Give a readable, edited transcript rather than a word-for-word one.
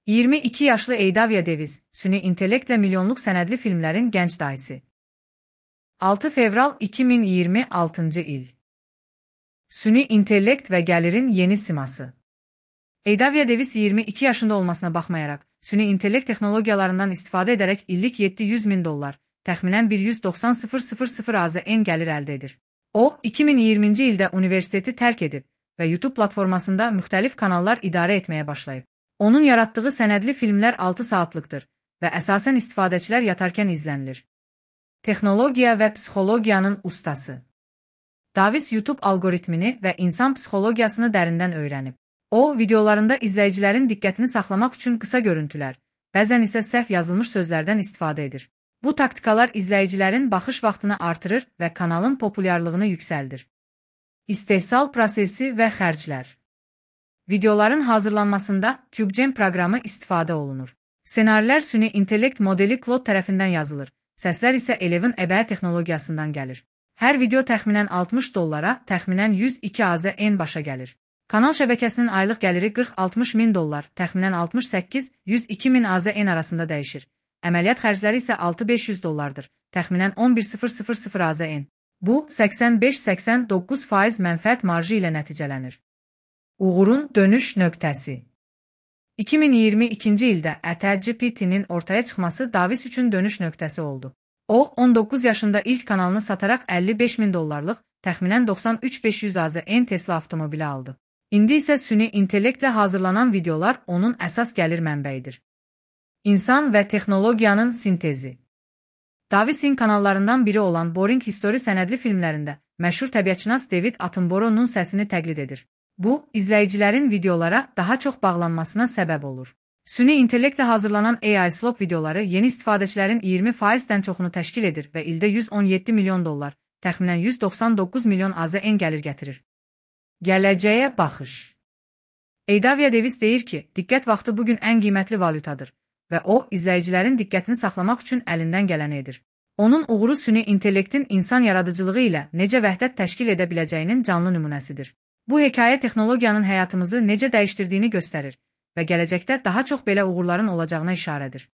22 yaşlı Eydavia Davis, süni intellektlə milyonluq sənədli filmlərin gənc dayısı. 6 fevral 2026-cı il. Süni intellekt və gəlirin yeni siması. Eydavia Davis 22 yaşında olmasına baxmayaraq, süni intellekt texnologiyalarından istifadə edərək illik $700.000, təxminən 190.000 AZN gəlir əldə edir. O, 2020-ci ildə universiteti tərk edib və YouTube platformasında müxtəlif kanallar idarə etməyə başlayıb. Onun yaratdığı sənədli filmlər 6 saatlıqdır və əsasən istifadəçilər yatarkən izlənilir. Texnologiya və psixologiyanın ustası. Davis YouTube algoritmini və insan psixologiyasını dərindən öyrənib. O, videolarında izləyicilərin diqqətini saxlamaq üçün qısa görüntülər, bəzən isə səhv yazılmış sözlərdən istifadə edir. Bu taktikalar izləyicilərin baxış vaxtını artırır və kanalın populyarlığını yüksəldir. İstehsal prosesi və xərclər. Videoların hazırlanmasında CubeGen proqramı istifadə olunur. Ssenarilər süni intellekt modeli Claude tərəfindən yazılır, səslər isə Eleven əbəyə texnologiyasından gəlir. Hər video təxminən $60, təxminən 102 AZN başa gəlir. Kanal şəbəkəsinin aylıq gəliri $40-60.000, təxminən 68-102.000 AZN arasında dəyişir. Əməliyyat xərcləri isə $6-500, təxminən 11.000 AZN. Bu, 85-89% mənfəət marjı ilə nəticələnir. Uğurun dönüş nöqtəsi. 2022-ci ildə ChatGPT-nin ortaya çıxması Davis üçün dönüş nöqtəsi oldu. O, 19 yaşında ilk kanalını sataraq $55.000, təxminən 93.500 AZN Tesla avtomobili aldı. İndi isə süni intellektlə hazırlanan videolar onun əsas gəlir mənbəyidir. İnsan və texnologiyanın sintezi. Davis'in kanallarından biri olan Boring History sənədli filmlərində məşhur təbiətşünas David Attenborough'un səsini təqlid edir. Bu, izləyicilərin videolara daha çox bağlanmasına səbəb olur. Süni intellektlə hazırlanan AI Slop videoları yeni istifadəçilərin 20%-dən çoxunu təşkil edir və ildə $117 milyon, təxminən 199 milyon AZN gəlir gətirir. Gələcəyə baxış. Eydavia Davis deyir ki, diqqət vaxtı bugün ən qiymətli valyutadır və o, izləyicilərin diqqətini saxlamaq üçün əlindən gələni edir. Onun uğuru süni intellektin insan yaradıcılığı ilə necə vəhdət təşkil edə biləcəyinin canlı nümunəsidir. Bu hekayə texnologiyanın həyatımızı necə dəyişdirdiyini göstərir və gələcəkdə daha çox belə uğurların olacağına işarədir.